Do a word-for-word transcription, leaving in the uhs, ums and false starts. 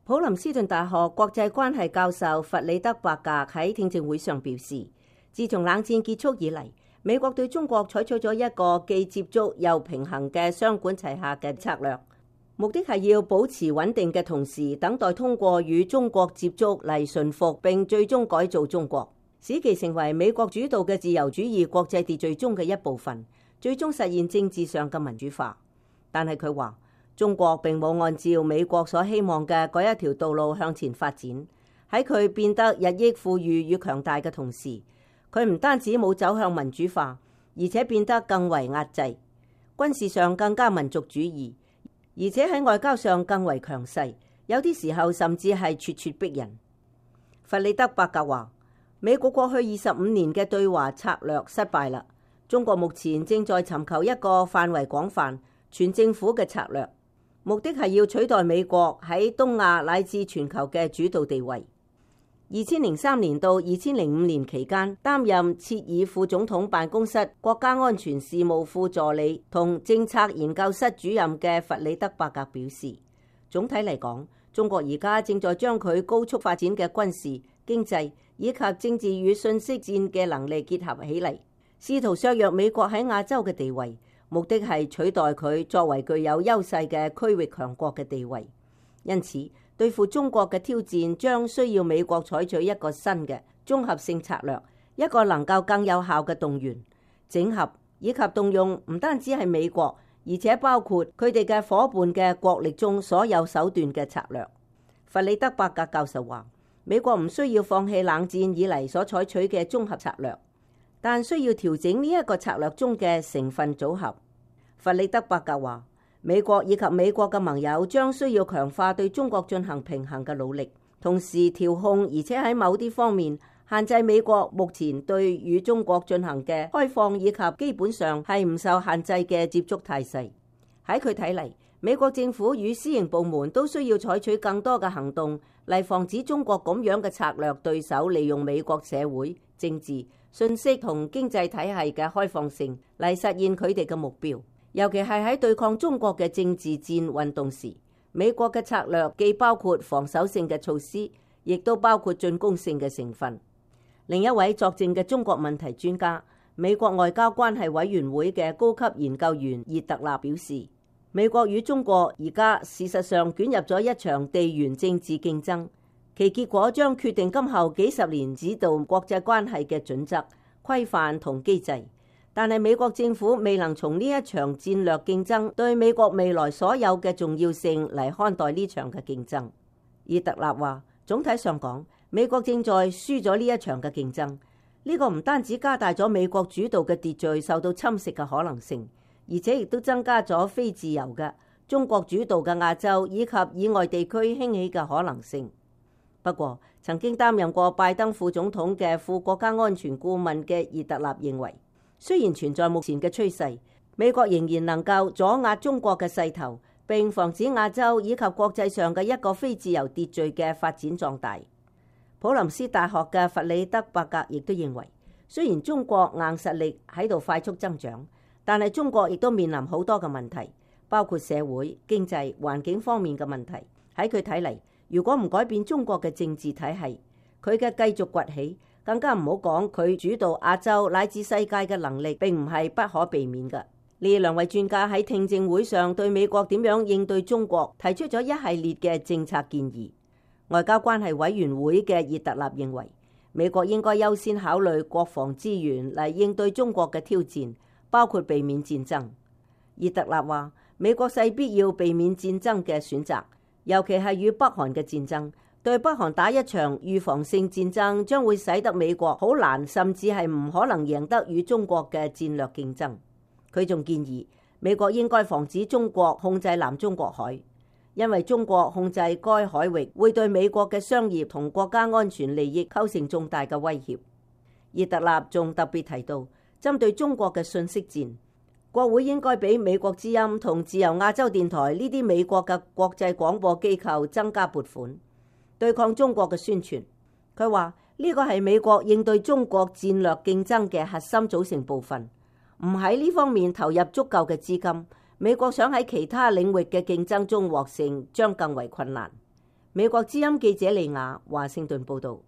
普林斯頓大學國際關係教授弗里德伯格喺聽證會上表示，自從冷戰結束以嚟，美國對中國採取咗一個既接觸又平衡嘅雙管齊下嘅策略，目的係要保持穩定嘅同時，等待通過與中國接觸嚟馴服並最終改造中國，使其成為美國主導嘅自由主義國際秩序中嘅一部分，最終實現政治上嘅民主化。但係佢話，中國並冇按照美國所希望嘅嗰一條道路向前發展。喺佢變得日益富裕與強大嘅同時，佢唔單止冇走向民主化，而且變得更為壓制，軍事上更加民族主義，而且喺外交上更為強勢，有啲時候甚至係咄咄逼人。弗里德伯格話，美國過去二十五年嘅對華策略失敗啦，中國目前正在尋求一個範圍廣泛、全政府嘅策略，目的係要取代美國喺東亞乃至全球嘅主導地位。二千零三年到二千零五年期間，擔任切爾副總統辦公室國家安全事務副助理同政策研究室主任嘅弗里德伯格表示，總體嚟講，中國而家正在將佢高速發展嘅軍事、經濟以及政治與信息戰嘅能力結合起嚟，試圖削弱美國喺亞洲嘅地位，目的係取代佢作為具有優勢嘅區域強國嘅地位。因此，對付中國嘅挑戰將需要美國採取一個新嘅綜合性策略，一個能夠更有效嘅動員、整合以及動用唔單止係美國，而且包括佢哋嘅夥伴嘅國力中所有手段嘅策略。弗里德伯格教授話，美國唔需要放棄冷戰以嚟所採取嘅綜合策略，但需要調整呢一個策略中嘅成分組合。弗里德伯格話，美國以及美國嘅盟友將需要強化對中國進行平衡嘅努力，同時調控而且喺某啲方面限制美國目前對與中國進行嘅開放以及基本上係唔受限制嘅接觸態勢。喺佢睇嚟，美國政府與私營部門都需要採取更多嘅行動嚟防止中國咁樣嘅策略對手利用美國社會、政治、信息同經濟體系嘅開放性嚟實現佢哋嘅目標。尤其係喺對抗中國嘅政治戰運動時，美國嘅策略既包括防守性嘅措施，亦都包括進攻性嘅成分。另一位作證嘅中國問題專家、美國外交關係委員會嘅高級研究員葉特納表示，美國與中國而家事實上捲入咗一場地緣政治競爭，其結果將決定今後幾十年指導國際關係嘅準則、規範同機制。但係美國政府未能從呢一場戰略競爭對美國未來所有嘅重要性嚟看待呢場嘅競爭。葉特納話，總體上講，美國正在輸咗呢一場嘅競爭。呢、這個唔單止加大咗美國主導嘅秩序受到侵蝕嘅可能性，而且亦都增加咗非自由嘅中國主導嘅亞洲以及以外地區興起嘅可能性。不過，曾經擔任過拜登副總統嘅副國家安全顧問嘅葉特納認為，雖然存在目前嘅趨勢，美國仍然能夠阻壓中國嘅勢頭，並防止亞洲以及國際上嘅一個非自由秩序嘅發展壯大。普林斯大學嘅弗里德伯格亦都認為，雖然中國硬實力喺度快速增長，但係中國亦都面臨好多嘅問題，包括社會、經濟、環境方面嘅問題。喺佢睇嚟，如果唔改變中國嘅政治體系，佢嘅繼續崛起，更加唔好講佢主導亞洲乃至世界嘅能力，並唔係不可避免嘅。呢兩位專家喺聽證會上對美國點樣應對中國提出咗一系列嘅政策建議。外交關係委員會嘅葉特納認為，美國應該優先考慮國防資源嚟應對中國嘅挑戰，包括避免戰爭。葉特納話，美國勢必要避免戰爭嘅選擇，尤其係與北韓嘅戰爭。對北韓打一場預防性戰爭，將會使得美國好難，甚至係唔可能贏得與中國嘅戰略競爭。佢仲建議美國應該防止中國控制南中國海，因為中國控制該海域會對美國嘅商業同國家安全利益構成重大嘅威脅。葉特納仲特別提到，針對中國嘅信息戰，國會應該俾美國之音同自由亞洲電台呢啲美國嘅國際廣播機構增加撥款，對抗中國嘅宣傳。佢話呢個係美國應對中國戰略競爭嘅核心組成部分，唔喺呢方面投入足夠嘅資金，美國想喺其他領域嘅競爭中獲勝將更為困難。美國之音記者李雅華盛頓報道。